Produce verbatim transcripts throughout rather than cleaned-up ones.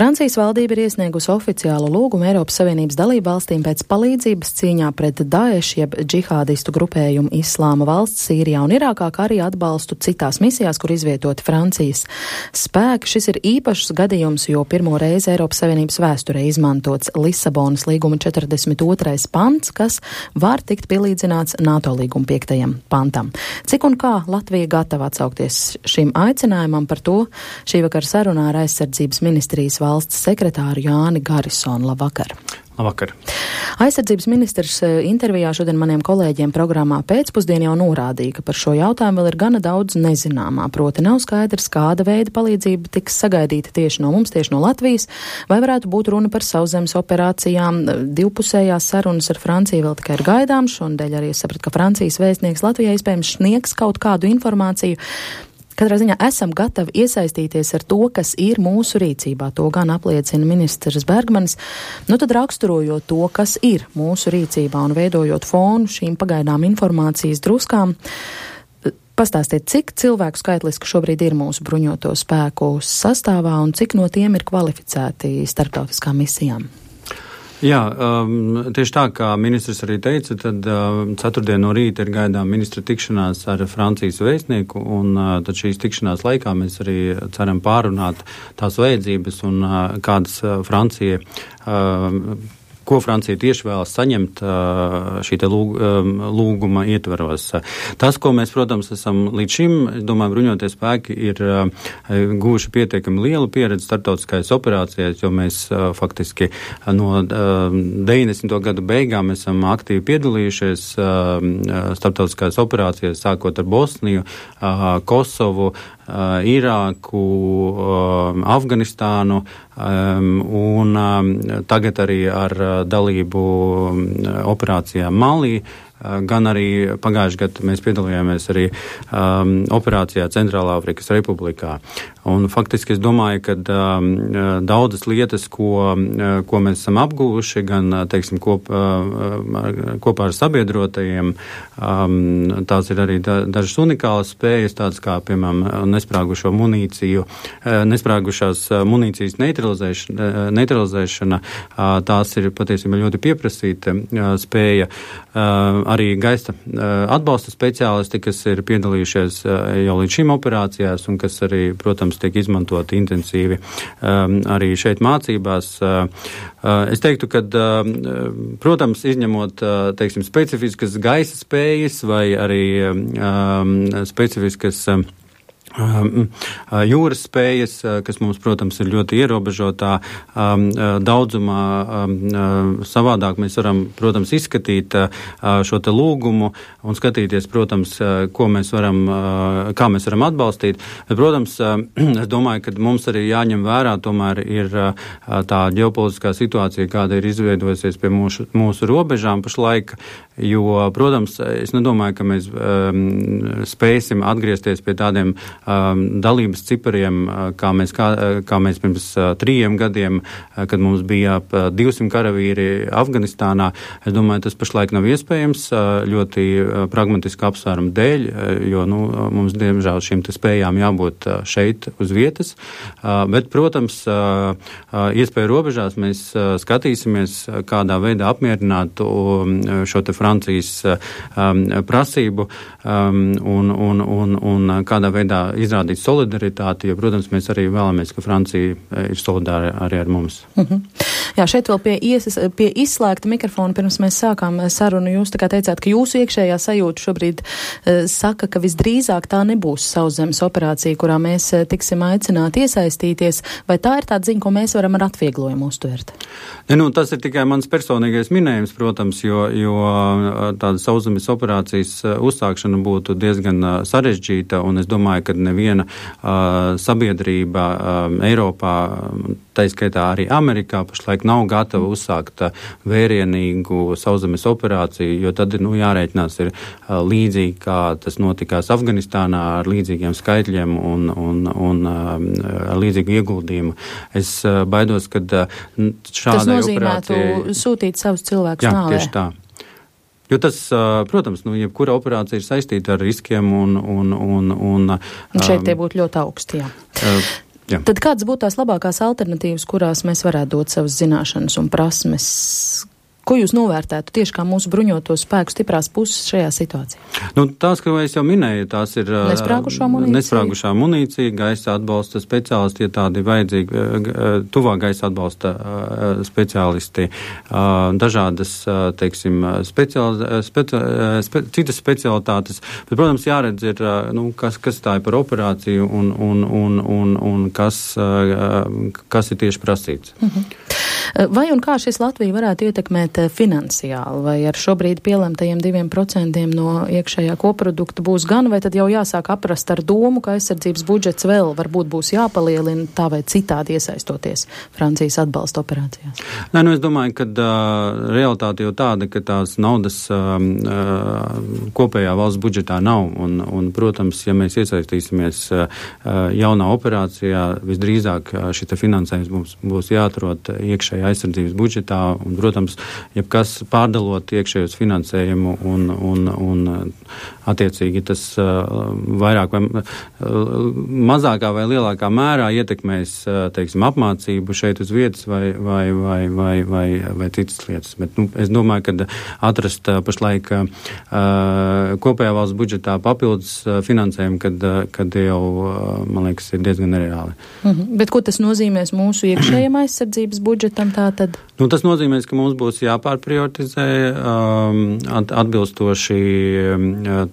Francijas valdība ir iesniegusi oficiālu lūgumu Eiropas Savienības dalību valstīm pēc palīdzības cīņā pret Daesh jeb džihādistu grupējumu Islāma valsts Sīrijā un Irākā, kā arī atbalstu citās misijās, kur izvietoti Francijas spēki. Šis ir īpašs gadījums, jo pirmo reizi Eiropas Savienības vēsturē izmantots Lisabonas līguma četrdesmit otrais pants, kas var tikt pielīdzināts NATO līguma piektajam pantam. Cik un kā Latvija gatava atsaukties šim aicinājumam, par to šī vakar sarunā ar aizsardzības ministrijas valsts sekretāru Jāni Garisonu. Labvakar! Labvakar! Aizsardzības ministrs intervijā šodien maniem kolēģiem programmā Pēcpusdien jau norādīja, ka par šo jautājumu vēl ir gana daudz nezināmā. Proti nav skaidrs, kāda veida palīdzība tiks sagaidīta tieši no mums, tieši no Latvijas, vai varētu būt runa par sauszemes operācijām. Divpusējās sarunas ar Franciju vēl tikai ir gaidāms. Šonadēļ arī es sapratu, ka Francijas vēstnieks Latvijā iespējams sniegs kaut kādu informāciju. Katrā ziņā esam gatavi iesaistīties ar to, kas ir mūsu rīcībā. To gan apliecina ministrs Bergmanis. Nu tad raksturojot to, kas ir mūsu rīcībā un veidojot fonu šīm pagaidām informācijas druskām, pastāstiet, cik cilvēku skaitliski šobrīd ir mūsu bruņoto spēku sastāvā un cik no tiem ir kvalificēti starptautiskām misijām? Jā, um, tieši tā, kā ministrs arī teica, tad uh, ceturtdien no rīta ir gaidām ministra tikšanās ar Francijas vēstnieku, un uh, tad šīs tikšanās laikā mēs arī ceram pārunāt tās vajadzības un uh, kādas uh, Francija uh, ko Francija tieši vēlas saņemt šī te lūg, lūguma ietvaros. Tas, ko mēs, protams, esam līdz šim, es domāju, bruņoties spēki ir guvuši pietiekami lielu pieredzi starptautiskajās operācijās, jo mēs faktiski no deviņdesmito gadu beigām esam aktīvi piedalījušies starptautiskajās operācijās, sākot ar Bosniju, Kosovu, Irāku, Afganistānu un tagad arī ar dalību operācijā Malī. Gan arī pagājušajā gadā mēs piedalījāmies arī um, operācijā Centrālā Afrikas Republikā. Un faktiski es domāju, ka um, daudzas lietas, ko, ko mēs esam apguvuši, gan, teiksim, kop, uh, kopā ar sabiedrotajiem, um, tās ir arī da, dažas unikālas spējas, tādas kā, piemēram, nesprāgušo munīciju, nesprāgušās munīcijas neutralizēšana, neutralizēšana, tās ir patiesībā ļoti pieprasīta spēja. Arī gaisa atbalsta speciālisti, kas ir piedalījušies jau līdz šīm operācijās un kas arī, protams, tiek izmantoti intensīvi arī šeit mācībās. Es teiktu, ka, protams, izņemot, teiksim, specifiskas gaisa spējas vai arī specifiskas jūras spējas, kas mums, protams, ir ļoti ierobežotā um, daudzumā. Um, savādāk mēs varam, protams, izskatīt uh, šo te lūgumu un skatīties, protams, uh, ko mēs varam, uh, kā mēs varam atbalstīt. Protams, uh, es domāju, ka mums arī jāņem vērā, tomēr ir uh, tā ģeopolitiskā situācija, kāda ir izveidojusies pie mūsu, mūsu robežām pašlaik, jo, protams, es nedomāju, ka mēs um, spēsim atgriezties pie tādiem Um, dalības cipariem, kā mēs, kā, kā mēs pirms uh, trījiem gadiem, uh, kad mums bija ap uh, divsimt karavīri Afganistānā. Es domāju, tas pašlaik nav iespējams uh, ļoti uh, pragmatiski apsvērumu dēļ, uh, jo nu, mums, diemžēl, šīm te spējām jābūt uh, šeit uz vietas. Uh, bet, protams, uh, uh, iespēju robežās mēs uh, skatīsimies, uh, kādā veidā apmierināt um, šo te Francijas uh, um, prasību um, un, un, un, un kādā veidā izrādīt solidaritāti, jo, protams, mēs arī vēlamies, ka Francija ir solidāra arī ar mums. Mm-hmm. Jā, šeit vēl pie, ies, pie izslēgta mikrofona, pirms mēs sākām sarunu, jūs tā kā teicāt, ka jūsu iekšējā sajūta šobrīd uh, saka, ka visdrīzāk tā nebūs sauszemes operācija, kurā mēs uh, tiksim aicināti iesaistīties, vai tā ir tāda ziņa, ko mēs varam ar atvieglojumu uztvert? Ne, nu, tas ir tikai mans personīgais minējums, protams, jo, jo tāda sauszemes operācijas uzsākšana būtu diezgan sarežģīta, un es domāju, ka neviena uh, sabiedrība uh, Eiropā, tā izskaitā arī Amerikā, pašlaik nav gatava uzsākt uh, vērienīgu sauszemes operāciju, jo tad ir nu, jārēķinās ir uh, līdzīgi, kā tas notikās Afganistānā ar līdzīgiem skaitļiem un, un, un uh, ar līdzīgu ieguldījumu. Es uh, baidos, ka uh, šādai operācijai... Tas nozīmētu sūtīt savus cilvēkus nāvē. Jā, tieši tā. Jo tas, protams, nu, jebkura operācija ir saistīta ar riskiem un... Un, un, un, un šeit tie būtu ļoti augsti, jā. Jā. Tad kādas būtu tās labākās alternatīvas, kurās mēs varētu dot savas zināšanas un prasmes? Ko jūs novērtētu tieši kā mūsu bruņoto spēku stiprās puses šajā situācijā? Nu, tās, ko es jau minēju, tās ir nesprāgušā munīcija, nesprāgušā munīcija gaisa atbalsta speciālisti, ja tādi vajadzīgi, tuvā gaisa atbalsta speciālisti, dažādas, teiksim, speciāli, speci, spe, citas specialitātes. Bet, protams, jāredz ir, nu, kas, kas tā ir par operāciju un, un, un, un, un kas, kas ir tieši prasīts. Mhm. Vai un kā šis Latviju varētu ietekmēt finansiāli, vai ar šobrīd pielemtajiem diviem procentiem no iekšējā koprodukta būs gan, vai tad jau jāsāk aprast ar domu, ka aizsardzības budžets vēl varbūt būs jāpalielina tā vai citādi iesaistoties Francijas atbalsta operācijās? Nē, nu es domāju, ka uh, realitāte jau tāda, ka tās naudas uh, uh, kopējā valsts budžetā nav, un, un protams, ja mēs iesaistīsimies uh, jaunā operācijā, visdrīzāk uh, šita finansējums mums būs jāatrod iekšējā aizsardzības budžetā, un, protams, jebkas pārdalot iekšējos finansējumu un, un, un attiecīgi tas uh, vairāk vai uh, mazākā vai lielākā mērā ietekmēs, uh, teiksim, apmācību šeit uz vietas vai, vai, vai, vai, vai, vai citas lietas. Bet, nu, es domāju, ka atrast uh, pašlaik uh, kopējā valsts budžetā papildus uh, finansējumu, kad, uh, kad jau, uh, man liekas, ir diezgan nereāli. Mhm. Bet ko tas nozīmēs mūsu iekšējiem aizsardzības budžetam? Tātad? Nu, tas nozīmē, ka mums būs jāpārprioritizē um, atbilstoši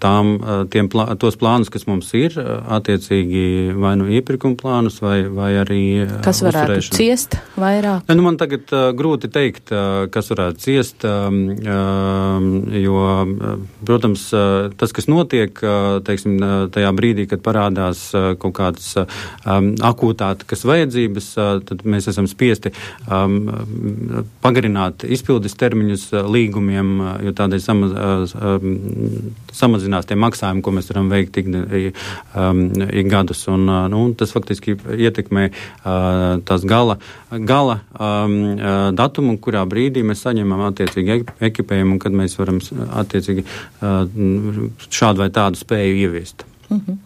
tām, tiem plā, tos plānus, kas mums ir, attiecīgi vai nu iepirkuma plānus, vai, vai arī kas varētu ciest vairāk? Ne, nu, man tagad uh, grūti teikt, uh, kas varētu ciest, um, uh, jo, uh, protams, uh, tas, kas notiek, uh, teiksim, uh, tajā brīdī, kad parādās uh, kaut kādas uh, um, akūtākas vajadzības, uh, tad mēs esam spiesti um, pagarināt izpildes termiņus līgumiem, jo tādēļ samaz, samazinās tie maksājumi, ko mēs varam veikt ik, ik gadus. Un, nu, tas faktiski ietekmē tās gala, gala datumu, kurā brīdī mēs saņemam attiecīgi ekipējumu, kad mēs varam attiecīgi šādu vai tādu spēju ieviest. Mhm.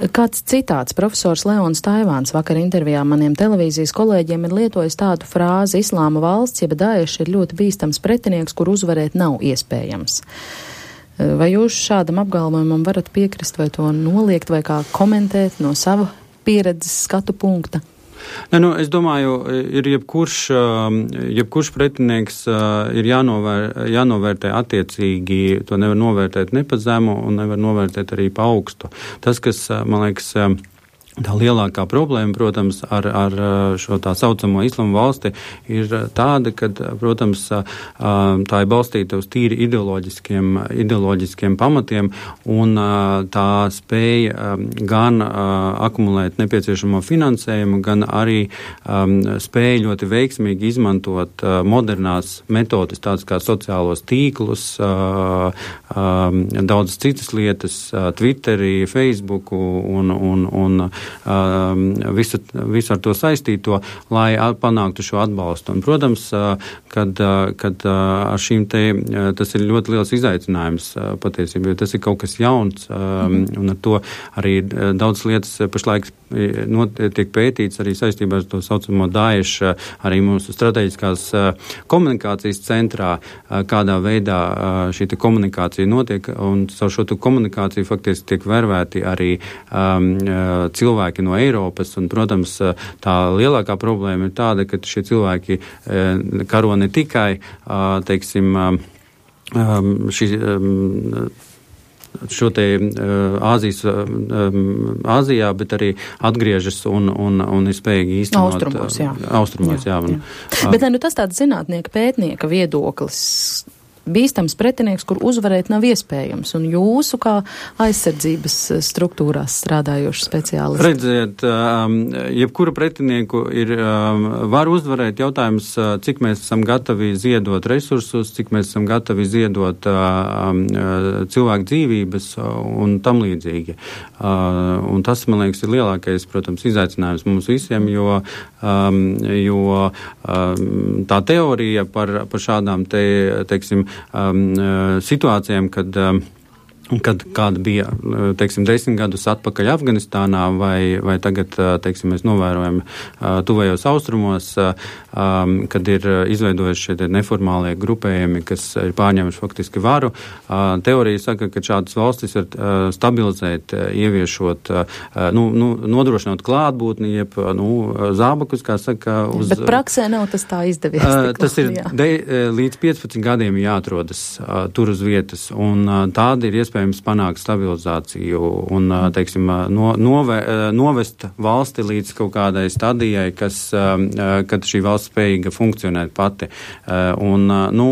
Kāds citāts profesors Leons Taivāns vakar intervijā maniem televīzijas kolēģiem ir lietojis tādu frāzi: Islāma valsts, jeb Daesh, ir ļoti bīstams pretinieks, kur uzvarēt nav iespējams. Vai jūs šādam apgalvojumam varat piekrist vai to noliegt vai kā komentēt no sava pieredzes skatu punkta? Ne, nu, es domāju, ir jebkurš, jebkurš pretinieks ir jānovēr, jānovērtē attiecīgi, to nevar novērtēt ne pa zemu un nevar novērtēt arī pa augstu. Tas, kas, man liekas, tā lielākā problēma, protams, ar, ar šo tā saucamo islamu valsti ir tāda, ka, protams, tā ir balstīta uz tīri ideoloģiskiem, ideoloģiskiem pamatiem, un tā spēja gan akumulēt nepieciešamo finansējumu, gan arī spēja ļoti veiksmīgi izmantot modernās metodes, tādas kā sociālos tīklus, daudzas citas lietas, Twitteri, Facebooku un, un, un visu, visu ar to saistīto, lai panāktu šo atbalstu. Un, protams, kad, kad ar šīm te, tas ir ļoti liels izaicinājums patiesībā, jo tas ir kaut kas jauns, un ar to arī daudz lietas pašlaik tiek pētīts arī saistībā ar to saucamo Daesh, arī mūsu strateģiskās komunikācijas centrā, kādā veidā šī te komunikācija notiek, un caur šo komunikāciju faktiski tiek vervēti arī um, cilvēki no Eiropas, un, protams, tā lielākā problēma ir tāda, ka šie cilvēki karo ne tikai, teiksim, šī šo te Āzijas, Āzijā, bet arī atgriežas un, un, un ir spējīgi īstenot. Austrumos, jā. Austrumos, jā. jā. jā. Bet nu, tas tāds zinātnieka pētnieka viedoklis. Bīstams pretinieks, kur uzvarēt nav iespējams, un jūsu kā aizsardzības struktūrās strādājoši speciālisti? Redziet, jebkuru pretinieku ir, var uzvarēt. Jautājums, cik mēs esam gatavi ziedot resursus, cik mēs esam gatavi ziedot cilvēku dzīvības un tam līdzīgi. Un tas, man liekas, ir lielākais, protams, izaicinājums mums visiem, jo, jo tā teorija par, par šādām te, teiksim, Um, situācijām, kad um, kad kāda bija, teiksim, desmit gadus atpakaļ Afganistānā vai, vai tagad, teiksim, mēs novērojam tuvējos austrumos, kad ir izveidojuši šie neformālie grupējumi, kas ir pārņēmuši faktiski varu. Teorija saka, ka šādas valstis var stabilizēt, ieviešot, nu, nu, nodrošinot klātbūtni, jeb, nu, zābakus, kā saka, uz... Bet praksē nav tas tā izdevies. Tas ir de, līdz piecpadsmit gadiem jāatrodas tur uz vietas, un tāda ir iespēja panākt stabilizāciju un, teiksim, no, nove, novest valsti līdz kaut kādai stadijai, kas, kad šī valsts spējīga funkcionēt pati. Un, nu,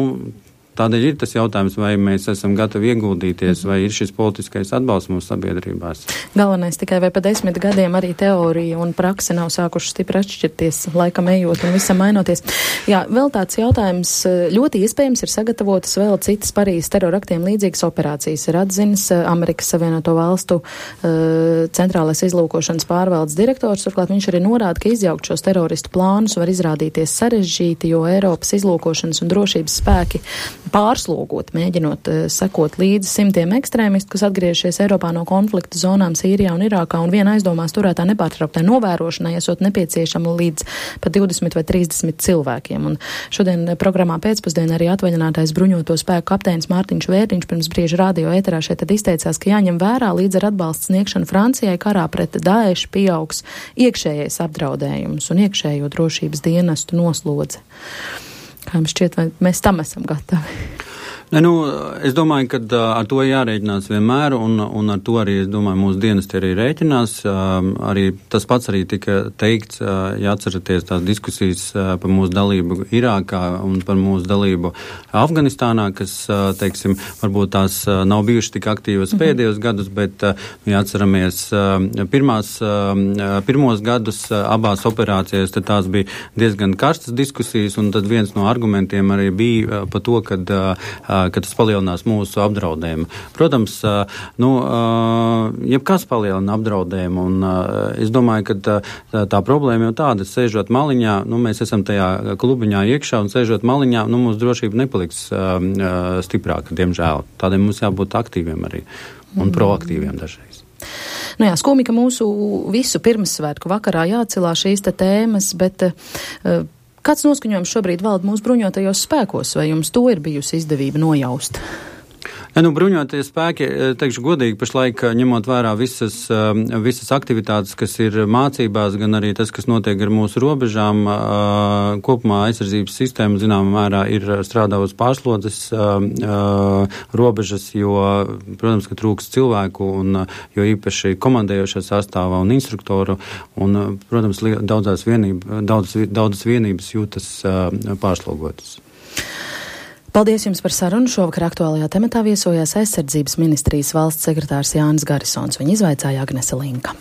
tādēļ ir tas jautājums, vai mēs esam gatavi ieguldīties, vai ir šis politiskais atbalsts mūsu sabiedrībās. Galvenais tikai vai pa desmit gadiem arī teorija un prakse nav sākuši stipri atšķirties, laikam ejot un visam mainoties. Jā, vēl tāds jautājums. Ļoti iespējams ir sagatavotas vēl citas Parīzes teroraktiem līdzīgas operācijas. Ir atzinis Amerikas Savienoto Valstu uh, centrālais izlūkošanas pārvaldes direktors. Turklāt viņš arī norāda, ka izjaukt šos teroristu plānus var izrādīties sarežģīti, jo Eiropas izlūkošanas un drošības spēki pārslogot, mēģinot uh, sekot līdzi simtiem ekstrēmistu, kas atgriežies Eiropā no konflikta zonām Sīrijā un Irākā, un viena aizdomās turētā nepārtrauktai novērošanai esot nepieciešama līdz pat divdesmit vai trīsdesmit cilvēkiem. Un šodien programmā pēcpusdienā arī atvaļinātais bruņoto spēku kapteinis Mārtiņš Vērtiņš pirms brīža radio ēterā šeit tad izteicās, ka jāņem vērā līdz ar atbalstu sniegšanu Francijai karā pret Daešu pieaugs iekšējais apdraudējums un iekšējo drošības dienestu noslodze. Kā jums šķiet, vai mēs tam esam gatavi? Ne, nu, es domāju, ka uh, ar to jārēķinās vienmēr, un, un ar to arī, es domāju, mūsu dienesti arī rēķinās. Uh, arī tas pats arī tika teikts, uh, ja atceraties tās diskusijas uh, par mūsu dalību Irākā un par mūsu dalību Afganistānā, kas, uh, teiksim, varbūt tās uh, nav bijušas tik aktīvas mm-hmm. pēdējos gadus, bet, uh, ja atceramies uh, pirmās, uh, pirmos gadus uh, abās operācijās, tad tās bija diezgan karstas diskusijas, un tad viens no argumentiem arī bija uh, par to, kad uh, ka tas palielinās mūsu apdraudējumu. Protams, nu, jebkas palielina apdraudējumu, un es domāju, ka tā, tā problēma jau tāda, sēžot maliņā, nu, mēs esam tajā klubiņā iekšā, un sēžot maliņā, nu, mūsu drošība nepaliks stiprāka, diemžēl. Tādēļ mums jābūt aktīviem arī, un mm. proaktīviem dažreiz. Nu jā, skumji, ka mūsu visu pirmsvētku vakarā jāatcilā šīs te tēmas, bet uh, kāds noskaņojums šobrīd valda mūsu bruņotajos spēkos, vai jums to ir bijusi izdevība nojaust? Ja, nu, bruņotie spēki, teikšu godīgi, pašlaik ņemot vērā visas, visas aktivitātes, kas ir mācībās, gan arī tas, kas notiek ar mūsu robežām, kopumā aizsardzības sistēma, zināmā mērā, ir strādā uz pārslodzes robežas, jo, protams, ka trūks cilvēku, un jo īpaši komandējošā sastāvā un instruktoru, un, protams, daudzās vienība, daudzas, daudzas vienības jūtas pārslogotas. Paldies jums par sarunu. Šovakar aktuālajā tematā viesojās aizsardzības ministrijas valsts sekretārs Jānis Garisons. Viņa izvaicāja Agnese Linka.